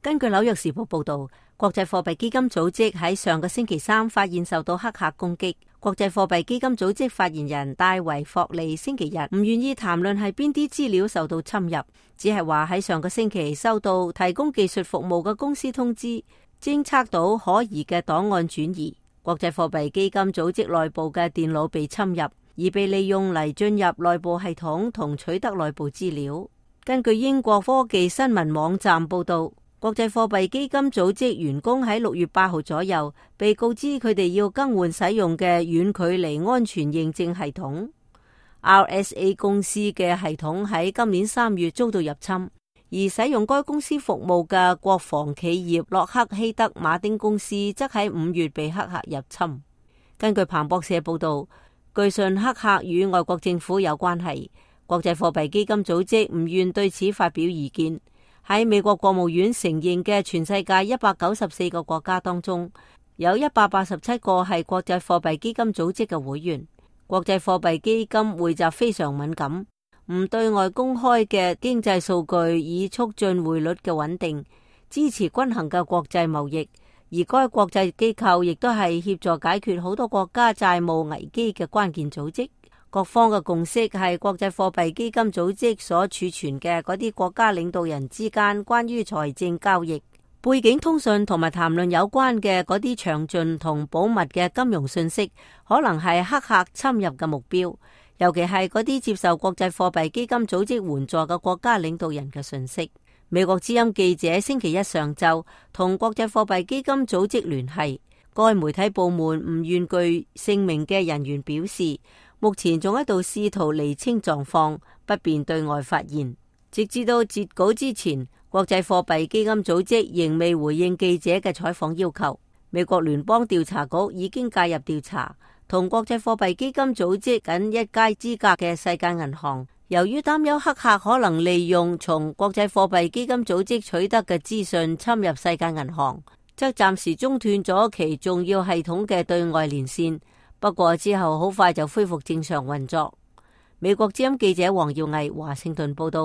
根據紐約時報報道，國際貨幣基金組織喺上個星期三發現受到黑客攻擊。國際貨幣基金組織發言人戴維霍利星期日唔願意談論係邊啲資料受到侵入，只係話喺上個星期收到提供技術服務嘅公司通知，偵測到可疑嘅檔案轉移。國際貨幣基金組織內部嘅電腦被侵入，而被利用嚟進入內部系統同取得內部資料。根據英國科技新聞網站報道，國際貨幣基金組織員工喺6月8號左右被告知佢哋要更換使用嘅遠距離安全認證系統。RSA 公司嘅系統喺今年3月遭到入侵，而使用該公司服務嘅國防企業洛克希德馬丁公司則喺5月被黑客入侵。根據彭博社報道，據信黑客與外國政府有關係。國際貨幣基金組織唔願對此發表意見。喺美國國務院承認嘅全世界194個國家當中，有187個係國際貨幣基金組織嘅會員。國際貨幣基金匯集非常敏感，唔對外公開嘅經濟數據以促進匯率嘅穩定，支持均衡嘅國際貿易。而該國際機構亦都係協助解決好多國家債務危機嘅關鍵組織。各方嘅共識係國際貨幣基金組織所儲存嘅嗰啲國家領導人之間關於財政交易、背景通訊同埋談論有關嘅嗰啲詳盡同保密嘅金融信息，可能係黑客侵入嘅目標，尤其係嗰啲接受國際貨幣基金組織援助嘅國家領導人嘅信息。美國之音記者星期一上晝同國際貨幣基金組織聯繫，該媒體部門唔願具姓名嘅人員表示，目前仲喺度試圖釐清狀況，不便對外發言。直至到截稿之前，國際貨幣基金組織仍未回應記者嘅採訪要求。美國聯邦調查局已經介入調查，同國際貨幣基金組織僅一街之隔嘅世界銀行，由於擔憂黑客可能利用從國際貨幣基金組織取得嘅資訊侵入世界銀行，則暫時中斷咗其重要系統嘅對外連線。不過之後好快就恢復正常運作。美國之音記者黃耀毅華盛頓報道。